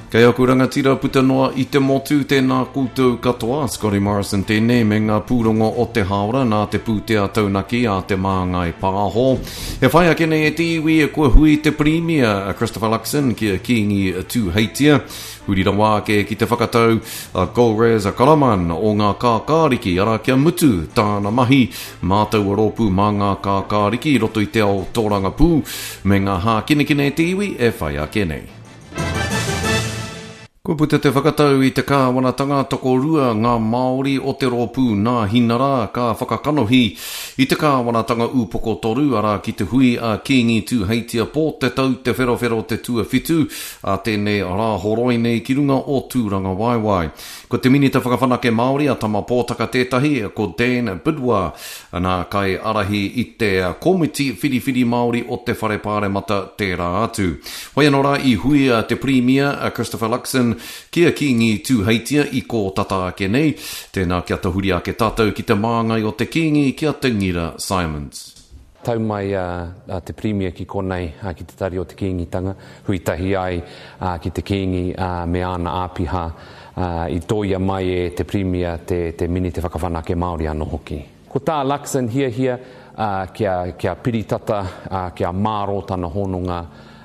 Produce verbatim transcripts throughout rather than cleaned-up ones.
Kei aku rangatira puta noa i te motu, tēnā koutou katoa. Scotty Morrison tēnei me ngā pūrongo o te hāora nā te pūtea taunaki a Te Māngai Pāho. E whai ake nei e te iwi e kua hui te Pirimia a Christopher Luxon ki a Kīngi Tūheitia. Huri rawa ake ki te whakatau a Golriz Ghahraman o ngā kākāriki, arā kia mutu tāna mahi mā taua rōpū mā ngā kākāriki i roto i te ao tōrangapū me ngā hākinakina e te iwi e whai ake nei. Kua puta te whakatau i te kāwanatanga tokorua ngā Māori o te rōpū Nāhinara ka whakakanohi i te kāwanatanga upoko toru, arā ki te hui a Kīngi Tūheitia pō te tau te wherowhero te tuawhitu a tēnei rāhoroi nei ki runga o Tūrangawaewae. Ko te Minita Whakawhanake Māori a Tama Pōtaka tētahi, ko Dan Bidois, nā kaiārahi i te Komiti Whiriwhiri Māori o te Whare Pāremata tērā atu. Hoi anō rā i hui a te Pirimia a Christopher Luxon ki a Kīngi Tūheitia i kō tata ake nei. Tēnā kia tahuri ake tātou ki te māngai o te Kīngi ki a Te Ngira Simons. Tau mai a, a te Pirimia ki konei a, ki te tari o te Kīngitanga, hui tahi ai a, ki te Kīngi a, me āna āpiha, a, i tōia mai e te Pirimia te, te Minita Whakawhanake Māori anō hoki. Ko tā Luxon hiahia a, kia, kia piritata, a, kia mārō tana hononga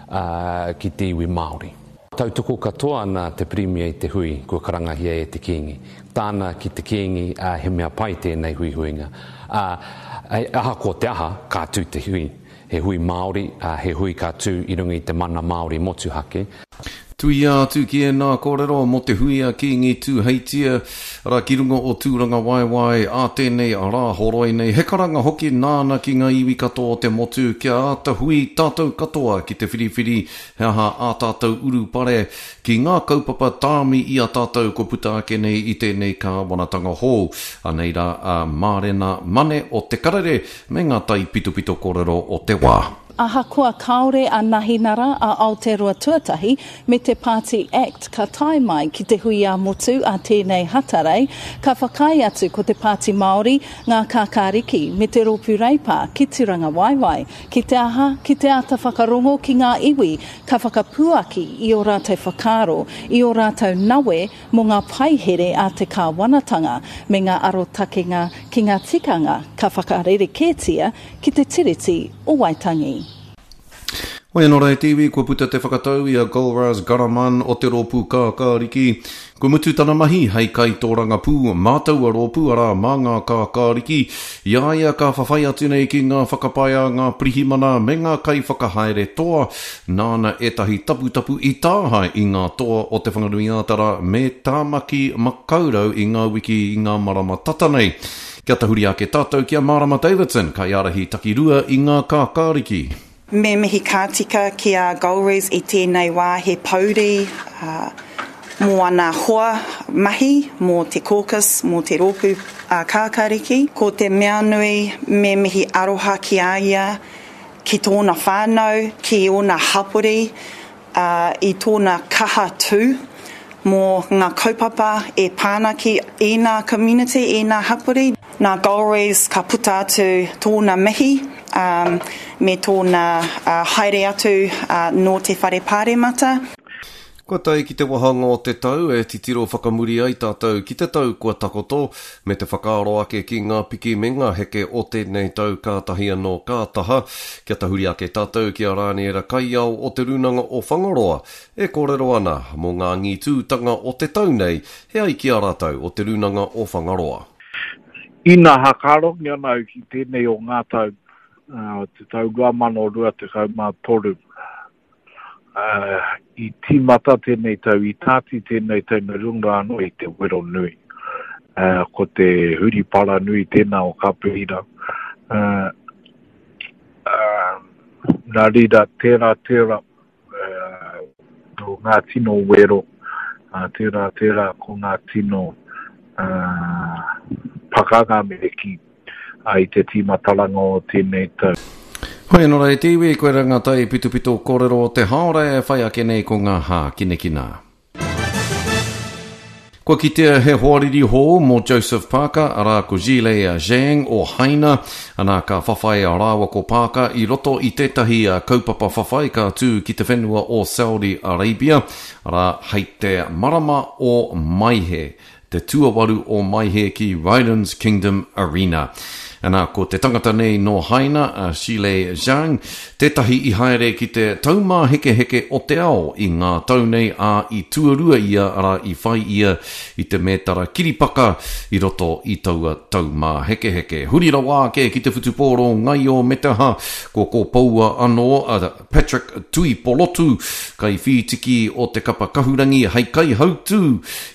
a, ki te iwi Māori. Tautoko katoa ana te Pirimia i te hui kua karangahia e te Kīngi. Tāna ki te Kīngi, a, he mea pai tēnei huihuinga. A, ahakoa te aha, ka tū te hui. He hui Māori, a, he hui ka tū i runga i te mana Māori motuhake. Tuia atu ki ēnā kōrero mō te hui a Kīngi Tūheitia, arā ki runga o Tūrangawaewae a tēnei rāhoroi nei. He karanga hoki nāna ki ngā iwi katoa o te motu kia āta hui tātou katoa ki te whiriwhiri he aha ā tātou urupare ki ngā kaupapa tāmi i a tātou kua puta ake nei i tēnei kāwanatanga hou. Anei rā a Mārena Mane o Te Karere me ngā taipitopito kōrero o te wā. Ahakoa kāore a Nahinara a Aotearoa Tuatahi me te Party Act ka tae mai ki te hui ā-motu a tēnei Hatarei, ka whakaae atu ko te Pāti Māori, ngā kākāriki me te rōpū Reipa ki Tūrangawaewae. Ki te aha, ki te āta whakarongo ki ngā iwi ka whakapuaki i ō rātou whakaaro, i ō rātou nawe mō ngā paihere a te kāwanatanga me ngā arotakenga ki ngā tikanga ka whakarerekētia ki te Tiriti o Waitangi. Hoi anō rā e te iwi, kua puta te whakatau i a Golriz Ghahraman o te rōpū kākāriki. Kua mutu tana mahi hei kaitōrangapū mā taua rōpū, arā mā ngā kākāriki. I a ia ka whawhai atu nei ki ngā whakapae a ngā pirihimana me ngā kaiwhakahaere toa, nāna ētahi taputapu i tāhae i ngā toa o Te Whanganui-ā-Tara me Tāmaki Makaurau i ngā wiki i ngā marama tata nei. Kia tahuri ake tātou ki a Marama Davidson, kaiārahi takirua i ngā kākāriki. Me mihi ka tika ki a Golriz i tēnei wā he pouri uh, mō ana hoa mahi, mō te caucus, mō te rōpū uh, kākāriki. Ko te mea nui me mihi aroha ki a ia, ki tōna whānau, ki ōna hapori, uh, i tōna kaha tū mō ngā kaupapa e pāna ki ēnā community, ēnā hapori. Nā Golriz ka puta atu tōna mihi um, me tōna uh, haere atu uh, nō te whare pāremata. Kua tae ki te wāhanga o te tau e titiro whakamuri ai tātou ki te tau kua takoto, me te whakaaro ake ki ngā piki me ngā heke o tēnei tau kātahi anō ka taha. Kia tahuri ake tātou ki a Rāniera Kaiao o Te Rūnanga o Whangaroa e kōrero ana mō ngā angitūtanga o te tau nei he ai ki a rātou o Te Rūnanga o Whangaroa. Ina hakarongi ana au ki tēnei o ngā tau, uh, te tau rua mano rua tekau mā toru. Uh, i tīmata tēnei tau, i tāti tēnei tau nā runga anō i te wero nui. Uh, ko te huripara nui tēnā o Kaperira. Uh, uh, nā reira, tērā, tērā, uh, ko ngā tino wero, uh, tērā, tērā, ko ngā tino uh, pakanga me ki uh, i te tīmataranga o tēnei tau. Hoi anō rā e te iwi, koirā ngā taipitopito kōrero o te hāora e whai ake nei ko ngā hākinakina. Kua kitea he hoariri hou mō Joseph Parker, arā ko Zhilei Zhang o Haina, ana ka whawhai a rāua ko Parker i roto i tētahi kaupapa whawhai ka tū ki te whenua o Saudi Arabia, arā hei te marama o Maehe, te tuawaru o Maehe ki Rylands Kingdom Arena. Ana, ko te tangata nei nō Haina, a Zhilei Zhang, tētahi i haere ki te taumāhekeheke o te ao i ngā tau nei, ā, i tuarua ia, arā, i whai ia i te mētara kiripaka i roto i taua taumāhekeheke. Huri rawa ake ki te whutupōro ngaio me te aha, kua kōpoua anō a Patrick Tuipolotu, kaiwhītiki o te kapa kahurangi hei kaihautū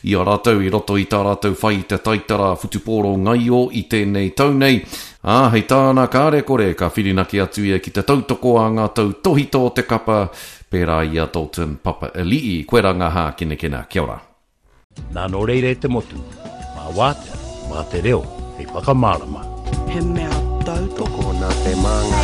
i a rātou i roto i tā rātou whai i te taitara whutupōro ngaio i tēnei tau nei. Ā, hei tāna kāre kore, ka whirinaki atu ia ki te tautoko a ngā tautohito o te kapa, pērā i a Dalton Papali'i. Koe rā ngā hākinakina. Kia ora. Nā nō reira e te motu, mā wātea, mā te reo, hei whakamārama. He mea tautoko nā te māngai.